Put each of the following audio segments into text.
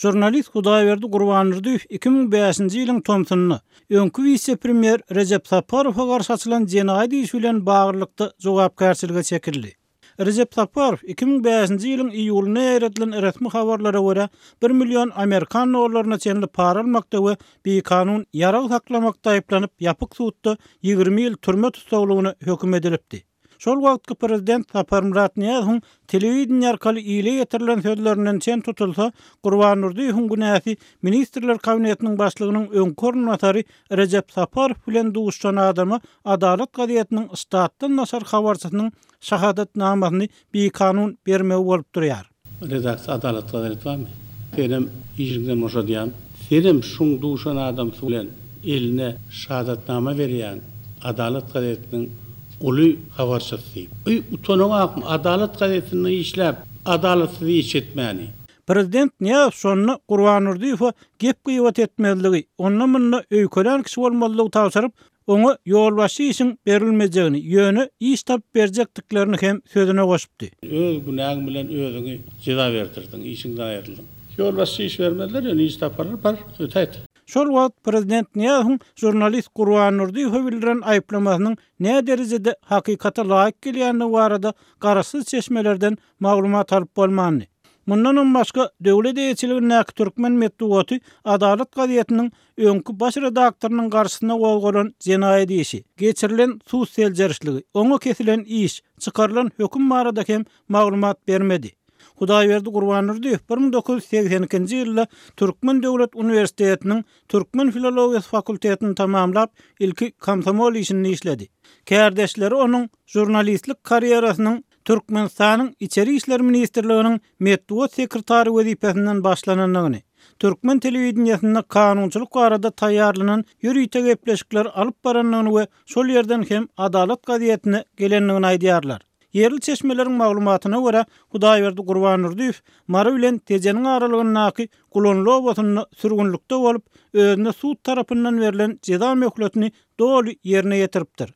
Žurnalist Hudaýberdi Gurbandurdyýew 2005-nji ýylyň tomsunda, öňki wise-premýer Rejep Saparowa garşy açylan jenaýat işi bilen baglylykda jogapkärçilige çekildi. Rejep Saparow 2005-nji ýylyň iýulynda ýaýradylan resmi habarlara görä, bir million amerikan dollaryna çenli para almakda we bikanun ýarag saklamakda aýyplanyp, ýapyk sudda 20 ýyl türme tussaglygyna höküm edilipdi. Şol wagtky prezident Saparmyrat Nyýazowyň telewideniýe arkaly ile ýetirilen sözlerinden çen tutulsa, Gurban Durdyýewiň günäsi Ministrler Kabinetiniň başlygynyň öňki orunbasary Rejep Saparow bilen duşuşan adama Adalat gazetiniň ştatdan daşary habarçysynyň şahadatnamasyny bikanun bermegi bolup durýar. Redaksiýa Adalat gazeti barmy? Senem işiňden boşadýan. Senem şuň duşan adamsy bilen eline şahadatnama berýäň Adalat gazetiniň uly habarçysy diýip. Eý utanaňakmy Adalat gazetinde işläp adalatsyz iş etmäni. Prezident Nyýazow şonda Gurban Durdyýewe gep-gybat etmezligi, onda-munda öýkelän kişi bolmazlygy tabşyryp, Oňa ýolbaşçy işiň berilmejegini, ýöne iş tapyp berjekdiklerini hem sözüne goşupdy. Öz günäň bilen özüňi jeza berdirdiň, işiňden aýryldyň. Ýolbaşçy iş bermezler, ýöne iş taparlar, bar, ötäýt. Şol wagt prezident Nyýazowyň žurnalist Gurban Durdyýewe bildiren aýyplamasynyň näderejede hakykata laýyk gelýändigi barada garaşsyz çeşmelerden maglumat alyp bolmandy. Mundanam başga, döwlet eýeçiligindäki türkmen metbugaty Adalat gazetiniň öňki baş redaktorynyň garşysyna gozgalan jenaýat işi, geçirilen sud seljerişligi, oňa kesilen iş, çykarylan höküm barada hem maglumat bermedi. Hudaýberdi Gurbandurdyýew 1982-nji ýylda Türkmen döwlet uniwersitetiniň türkmen filologiýasy fakultetini tamamlap, ilki komsomol işinde işledi. Kärdeşleri onuň žurnalistlik karýerasynyň Türkmenistanyň Içeri işler ministrliginiň metbugat sekretary wezipesinden başlanandygyny, türkmen telewideniýesinde kanunçylyk barada taýýarlanan ýörite gepleşikleri alyp barandygyny we şol ýerden hem Adalat gazetine gelendigini aýdýarlar. Ýerli çeşmeleriň maglumatyna görä, Hudaýberdi Gurbandurdyýew Mary bilen Tejeniň aralygyndaky Gulanly obasynda sürgünlikde bolup, özüne sud tarapyndan berlen jeza möhletini doly ýerine ýetiripdir.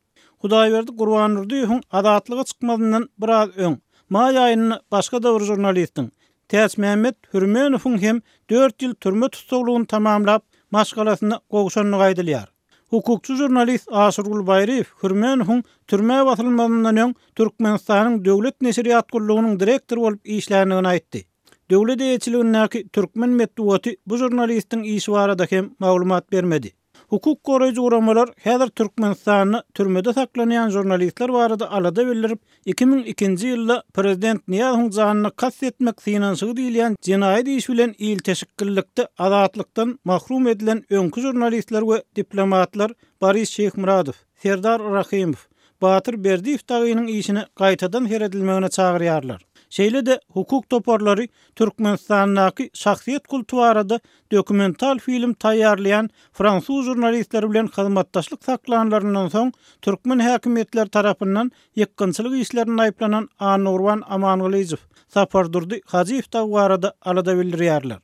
Hudaýberdi Gurbandurdyýewiň azatlyga çykmazyndan biraz öň, maý aýynda başga-da bir žurnalistiň, Täçmämmet Hürmenowyň hem dört ýyl türme tussaglygyny tamamlap, maşgalasyna gowşandygy aýdylýar. Hukukçy žurnalist Aşyrgul Baýryýew Hürmenowyň türmä basylmazyndan öň Türkmenistanyň Döwlet neşirýat gullugynyň direktory bolup işländigini aýtdy. Döwlet eýeçiligindäki türkmen metbugaty bu žurnalistiň işi barada hem maglumat bermedi. Hukuk goraýjy guramalar häzir Türkmenistanda türmede saklanýan žurnalistler barada alada bildirip, 2002-nji ýylda prezident Nyýazowyň janyna kast etmek synanyşygy diýilýän jenaýat işi bilen ilteşiklilikde azatlykdan mahrum edilen öňki žurnalistler we diplomatlar Boris Şeýhmyradow, Serdar Rahymow, Batyr Berdiýew dagynyň işine gaýtadan seredilmegine çagyrýarlar. Şeýle-de hukuk toparlary Türkmenistandaky şahsyýet kulty barada dokumental film taýýarlaýan fransuz žurnalistleri bilen hyzmatdaşlyk saklanlaryndan soň türkmen häkimiýetleri tarapyndan ýykgynçylyk işlerinde aýyplanan Annagurban Amangylyjow, Sapardurdy Hajyýew dagy barada alada bildirýärler.